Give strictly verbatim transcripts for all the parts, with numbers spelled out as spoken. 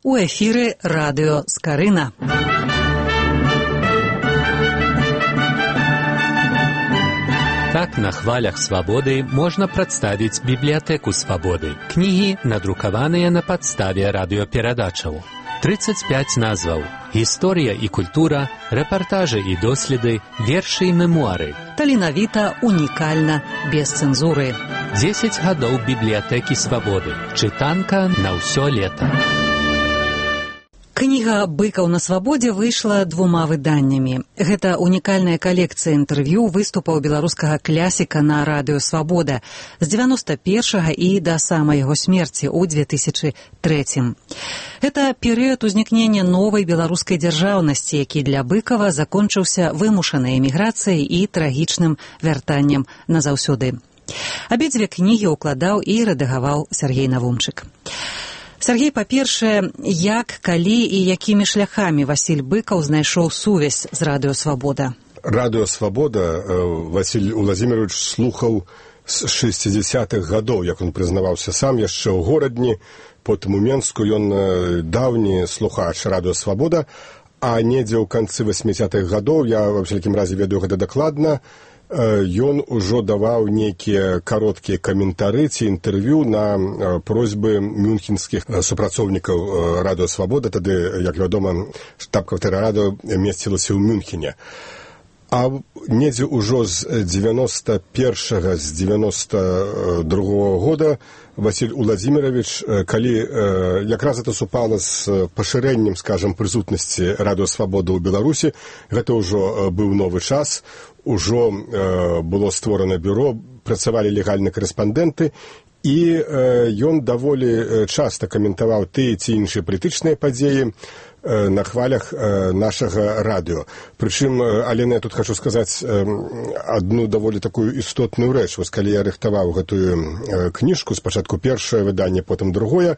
У эфіры радыё Скарына. Так на хвалях свабоды можна прадставіць бібліятэку свабоды. Кнігі, надрукаваныя на падставе радыёперадачаў. тридцать пять назваў. Гісторыя і культура, рэпартажы і доследы, вершы і мемуары. Таленавіта, унікальна, без цэнзуры. дзесяць гадоў бібліятэкі свабоды. Чытанка на ўсё лета. Кніга «Быкаў на свабодзе» выйшла двума выданнямі. Гэта унікальная калекцыя інтэрв'ю выступаў беларускага клясіка на радыё «Свабода» з дзевяноста першага і да самай яго смерці ў две тысячы трэцім. Гэта перыяд узнікнення новай беларускай дзяржаўнасці, які для Быкава закончыўся вымушанай эміграцыяй і трагічным вяртаннем назаўсёды. Абедзве кнігі ўкладаў і рэдагаваў Сяргей Навумчык. Сяргей, па-першае, як, калі і якімі шляхамі Васіль Быкаў знайшоў сувязь з радыё «Свабода»? Радыё «Свабода» Васіль Уладзімірович слухаў з шэсцідзясятых гадоў, як ён прызнаваўся сам яшчэ ў горадні, потым у Менску. Ён даўні слухач радыё «Свабода», а недзе ў канцы васьмідзесятых гадоў, я ва ўсякім разе ведаю гэта дакладна, ён ужо даваў нейкія кароткія каментары ці інтэрв'ю на просьбы мюнхенскіх супрацоўнікаў радыё «Свабода». Тады, як вядома, штаб-кватэра радыё месцілася ў Мюнхене. А недзе ўжо з дзевяноста першага, з дзевяноста другога года Васіль Уладзімірович, калі якраз гэта супала з пашырэннем, скажам, прысутнасці радыё «Свабода» ў Беларусі, гэта ўжо быў новы час, ужо было створана бюро, працавалі легальныя карэспандэнты, і ён даволі часта каментаваў тыя ці іншыя палітычныя падзеі на хвалях нашага радыё. Прычым, Алена, я тут хочу сказаць адну даволі такую істотную рэч. Вось калі я рыхтаваў гэтую кніжку, спачатку першае выданне, потым другое,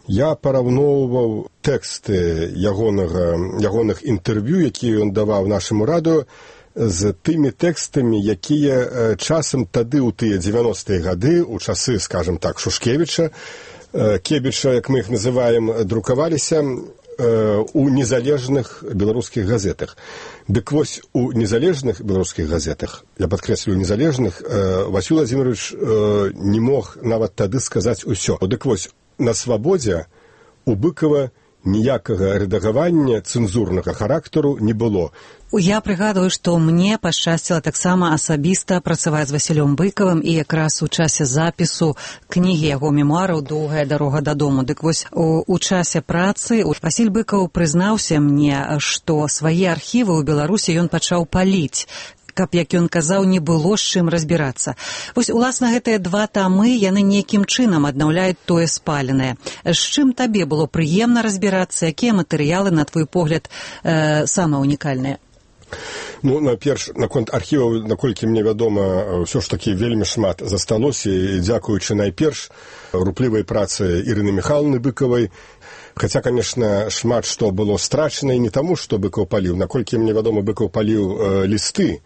я параўноўваў тэксты ягонага, ягоных інтэрв'ю, якія ён даваў нашаму радыё, з тымі тэкстамі, якія часам тады ў тыя дзевяностыя гады, у часы, скажем так, Шушкевіча, Кебіча, як мы іх называем, друкаваліся у незалежных беларускіх газетах. Дык вось, у незалежных беларускіх газетах, я падкрэслю, незалежных, Васіль Уладзімірович не мог нават тады сказаць усё. Дык вось, на «Свабодзе» у Быкава ніякага рэдагавання цэнзурнага характару не было. Я прыгадваю, што мне пашчасціла таксама асабіста працаваць з Васілём Быкавым і якраз у часе запісу кнігі яго мемуараў «Доўгая дарога дадому». Дык вось у, у часе працы Васіль Быкаў прызнаўся мне, што свае архівы ў Беларусі ён пачаў паліць, каб, як ён казаў, не было з чым разбірацца. Вось, уласна, гэтыя два тамы, яны нейкім чынам аднаўляюць тое спаленае. З чым табе было прыемна разбірацца? Якія матэрыялы, на твой погляд, э, самыя унікальныя? Ну, наперш, наконт архіваў, наколькі мне вядома, ўсё ж такі вельмі шмат засталося, і дзякуючы найперш руплівай працы Ірыны Міхайлаўны Быкавай. Хаця, конечно, шмат што было страчана і не таму, што Быкаў паліў. Наколькі мне вядома, Быкаў паліў э, лісты.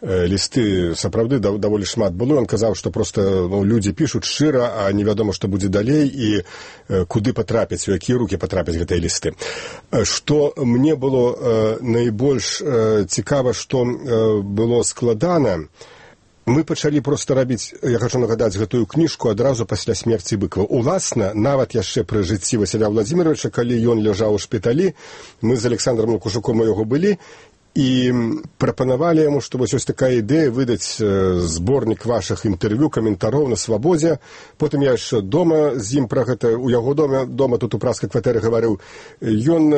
Э, лісты, сапраўды, да, даволі шмат было. Ён казаў, што проста ну, людзі пішуць шчыра, а невядома, што будзе далей і э, куды патрапіць, у якія рукі патрапяць гэтыя лісты. Э, што мне было э, найбольш э, цікава, што э, было складана, мы пачалі проста рабіць, я хочу нагадаць, гэтую кніжку адразу пасля смерці Быкава. Уласна, нават яшчэ пры жыцці Васіля Уладзіміровича, калі ён ляжаў у шпіталі, мы з Александром Лукашуком у яго былі, і прапанавалі яму, што вось ось такая ідэя выдаць зборнік вашых інтэрв'ю, каментароў на «Свабодзе». Потым я яшчэ дома з ім пра гэта, у яго дома, дома тут у праскай кватэры гаварыў. Ён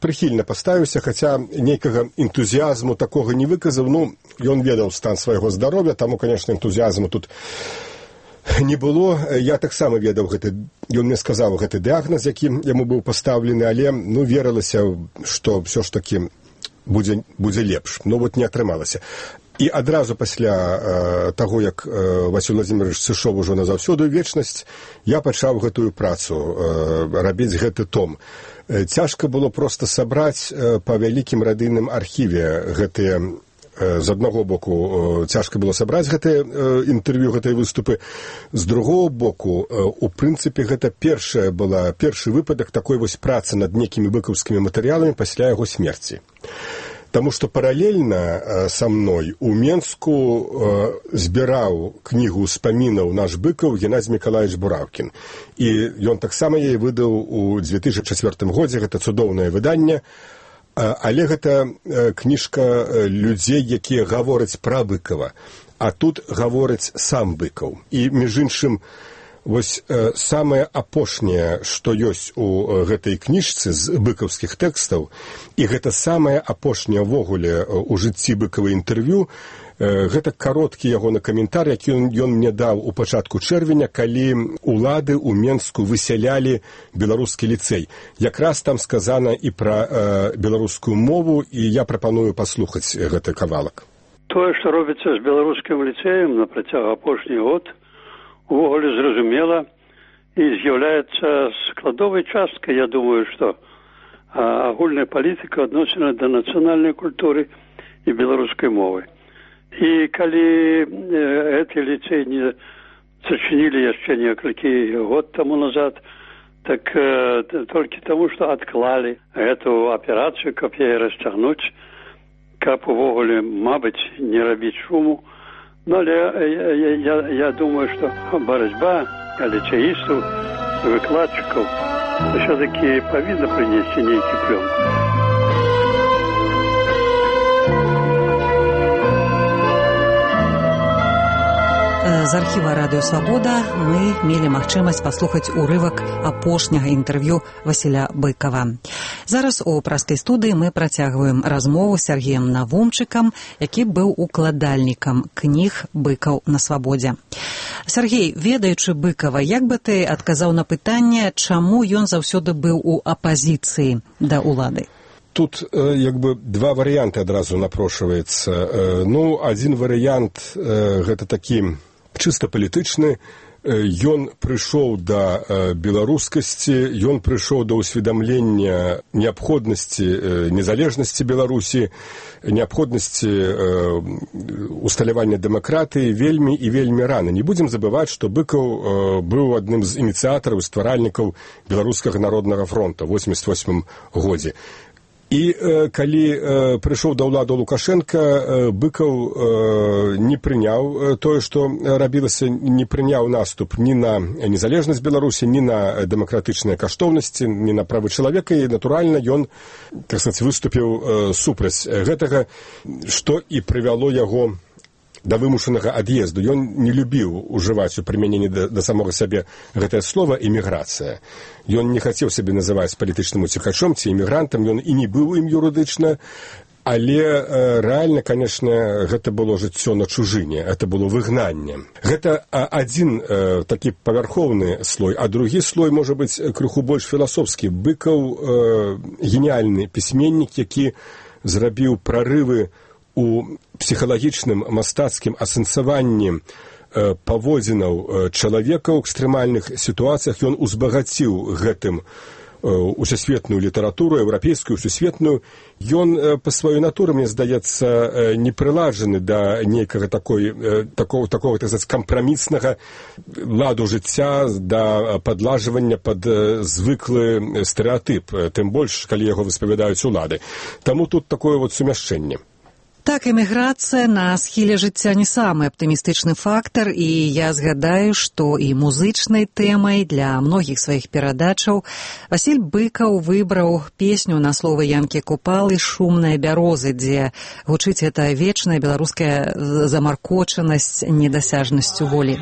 прыхільна паставіўся, хаця нейкага энтузіязму такога не выказаў. Ну, ён ведаў стан свайго здароўя, таму, конечно, энтузіязму тут не было. Я таксама ведаў гэты, ён мне сказаў гэты дыягназ, які яму быў пастаўлены, але, ну, верылася, што ўсё ж такі будзе, будзе лепш. Ну, вот не атрымалася. І адразу пасля э, таго, як э, Васіль Уладзімірович сышоў ужо назаўсёды ў вечнасць, я пачаў гэтую працу, э, рабіць гэты том. Э, цяжка было проста сабраць э, па вялікім радыйным архіве гэтыя з аднаго боку цяжка было сабраць гэтае інтэрв'ю, гэтыя выступы, з другого боку, у прынцыпе, гэта першая была, першы выпадак такой вось працы над некімі быкаўскімі матэрыяламі пасля яго смерці. Таму што паралельна са мной у Менску збіраў кнігу ўспамінаў наш Быкаў Геннадзь Мікалаевич Бураўкін. І ён таксама яе выдаў у дзве тысячы чацвёртым годзе, гэта цудоўнае выданне, але гэта кніжка людзей, якія гавораць пра Быкава, а тут гавораць сам Быкаў. І, між іншым, вось самае апошняе, што ёсць у гэтай кніжцы з быкаўскіх тэкстаў, і гэта самае апошняе ўвогуле у жыцці Быкава інтэрв'ю, гэта кароткі ягоны каментар, які ён, ён мне даў у пачатку чэрвеня, калі улады ў Менску высялялі беларускі ліцэй. Якраз там сказана і пра э, беларускую мову, і я прапаную паслухаць гэты кавалак. Тое, што робіцца з беларускім ліцэем на працягу апошні год, увогуле зразумела і з'яўляецца складовай часткай, я думаю, што агульная палітыка адносіна да нацыянальнай культуры і беларускай мовы. І калі гэты ліцэй не зачынілі яшчэ некалькі год таму назад, так толькі таму, што адклалі гэту аперацыю, каб яе расцягнуць, каб увогуле, мабыць, не рабіць шуму. Ну, але я, я, я думаю, што барацьба ліцеістаў, выкладчыкаў ўсё-такі павінна прынесці нейкі плён. З архіва Радыё Свабода мы мелі магчымасць паслухаць урывак апошняга інтэрв'ю Васіля Быкава. Зараз у праскай студыі мы працягваем размову з Сергеем Навумчыкам, які быў укладальнікам кніг «Быкаў на свабодзе». Сергей, ведаючы Быкава, як бы ты адказаў на пытанне, чаму ён заўсёды быў у апазіцыі да ўлады? Тут як бы два варыянты адразу напрошваецца. Ну, адзін варыянт гэта такі чыста палітычны. Ён прыйшоў да беларускасці, ён прыйшоў да ўсведамлення неабходнасці незалежнасці Беларусі, неабходнасці усталявання дэмакратыі вельмі і вельмі рана. Не будзем забываць, што Быкаў быў адным з ініцыятараў, стваральнікаў Беларускага народнага фронта ў восемьдесят восьмым годзе. І э, калі э, прыйшоў да ўладу Лукашенка, э, Быкаў э, не прыняў тое, што рабілася, не прыняў наступ ні на незалежнасць Беларусі, ні на дэмакратычныя каштоўнасці, ні на правы чалавека, і, натуральна, ён, так сказаць, выступіў э, супраць гэтага, што і прывяло яго да вымушанага ад'езду. Ён не любіў ужываць у прымяненні да, да самога сябе гэтае слова «эміграцыя». Ён не хацеў сябе называць палітычным уцекачом ці эмігрантам, ён і не быў ім юрыдычна, але э, рэальна, канешне, гэта было жыццё на чужыне, гэта было выгнанне. Гэта а, адзін э, такі павярхоўны слой, а другі слой, можа быць, крыху больш філасофскі. Быкаў э, геніяльны пісьменнік, які зрабіў прарывы у псіхалагічным мастацкім асэнсаванні э, паводзінаў чалавека ў экстрэмальных сітуацыях. Ён узбагаціў гэтым э, усесветную літаратуру, еўрапейскую, усесветную. Ён э, па сваёй натуры, мне здаецца, э, не прыладжаны да нейкага такой, э, такого, такого, так сказаць, кампраміснага ладу жыцця, да падлажвання пад э, звыклы стэрэатып, тым больш, калі яго выспавядаюць улады. Таму тут такое вот сумяшчэнне. Так, эміграцыя на схіле жыцця не самы аптымістычны фактар, і я згадаю, што і музычнай тэмай для многіх сваіх перадачаў Васіль Быкаў выбраў песню на словы Янкі Купалы «Шумная бярозы», дзе гучыць эта вечная беларуская замаркочанасць недасяжнасцю волі.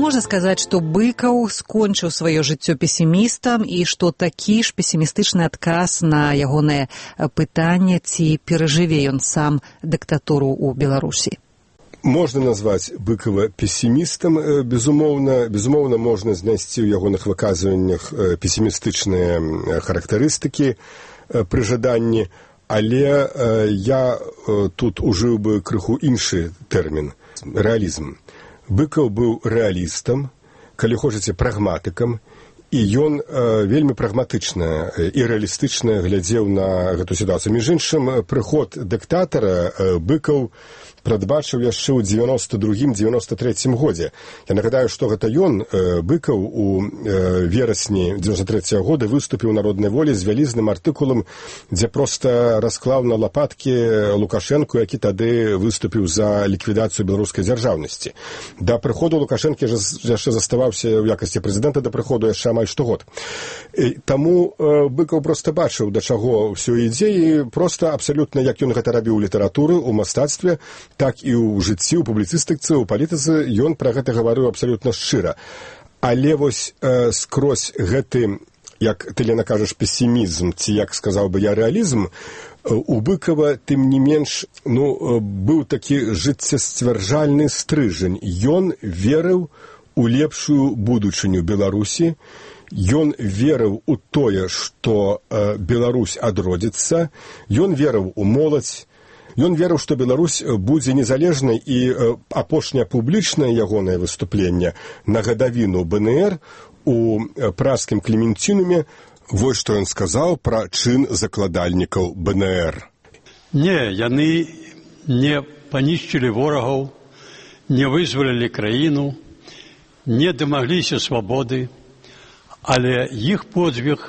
Можна сказаць, што Быкаў скончыў сваё жыццё песімістам і што такі ж песімістычны адказ на ягонае пытанне, ці перажыве ён сам дыктатуру ў Беларусі? Можна назваць Быкова песімістам, безумоўна, безумоўна можна знайсці ў ягоных выказваннях песімістычныя характарыстыкі пры жаданні, але я тут ужыў бы крыху іншы тэрмін – рэалізм. Быкаў быў рэалістам, калі хочаце, прагматыкам, і ён э, вельмі прагматычна і рэалістычна глядзеў на гэту сітуацыю. Між іншым, прыход дыктатара э, Быкаў прадбачыў яшчэ ў дзевяноста другім - дзевяноста трэцім годзе. Я нагадаю, што гэта ён, э, Быкаў, у э, верасні дзевяноста трэцяга года выступіў у Народнай волі з вялізным артыкулам, дзе проста расклаў на лапаткі Лукашэнку, які тады выступіў за ліквідацыю беларускай дзяржаўнасці. Да прыходу Лукашэнкі яшчэ заставаўся ў якасці прэзідэнта, да прыходу яшчэ амаль штогод. І таму э, Быкаў проста бачыў, да чаго ўсё ідзе, і проста абсалютна, як ён гэта рабіў у літаратуры, у мастацтве, так і ў жыцці, у публіцыстыцы, у палітыцы, ён пра гэта гаварыў абсалютна шчыра. Але вось э, скрозь гэты, як ты, Лена, кажаш, песімізм, ці, як сказаў бы я, рэалізм, у Быкова, тым не менш, ну, быў такі жыццесцвярджальны стрыжань. Ён верыў у лепшую будучыню Беларусі, ён верыў у тое, што э, Беларусь адродзіцца, ён верыў у моладзь, ён верыў, што Беларусь будзе незалежнай, і э, апошняе публічнае ягонае выступленне на гадавіну бэ эн ер у пражскім Клементінуме, вось што ён сказаў пра чын закладальнікаў бэ эн ер. Не, яны не панішчылі ворагаў, не вызвалілі краіну, не дамагліся свабоды, але іх подзвіг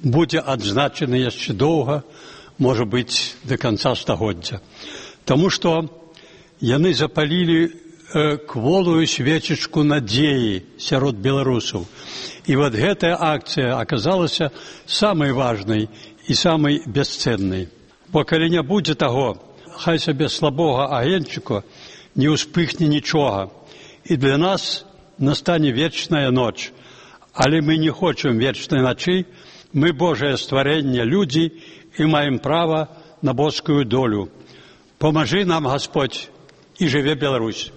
будзе адзначаны яшчэ доўга, можа быць, да канца стагоддзя. Таму што яны запалілі э, кволую свечачку надзеі сярод беларусаў. І вот гэтая акцыя аказалася самай важнай і самай бясцэннай. Бо калі не будзе таго, хай сабе слабога агеньчыка, не ўспыхне нічога. І для нас настане вечная ноч. Але мы не хочам вечнай начы, мы Божае стварэнне, людзі, і маем права на боскую долю. Памажы нам, Господь, і жыве Беларусь.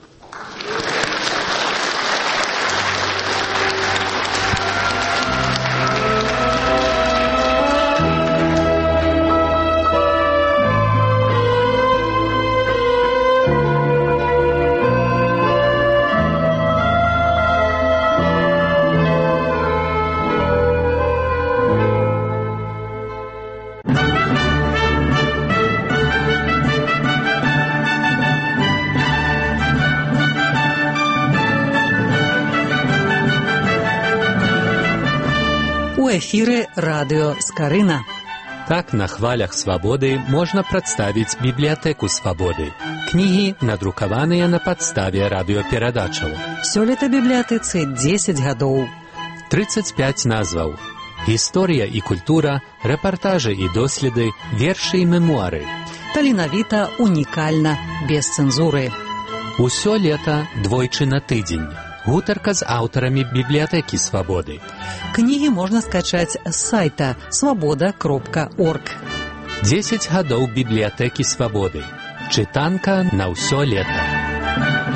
У эфіры радыё Скарына. Так на хвалях свабоды можна прадставіць бібліятэку свабоды. Кнігі надрукаваныя на падставе радыёперадачаў. Сёлета бібліятэцы дзесяць гадоў. трыццаць пяць назваў. Гісторыя і культура, рэпартажы і доследы, вершы і мемуары. Таленавіта, унікальна, без цэнзуры. Усё лета двойчы на тыдзень. Гутарка з аўтарамі бібліятэкі свабоды. Кнігі можна скачаць з сайта свабода кропка орг. дзесяць гадоў бібліятэкі свабоды. Чытанка на ўсё лета.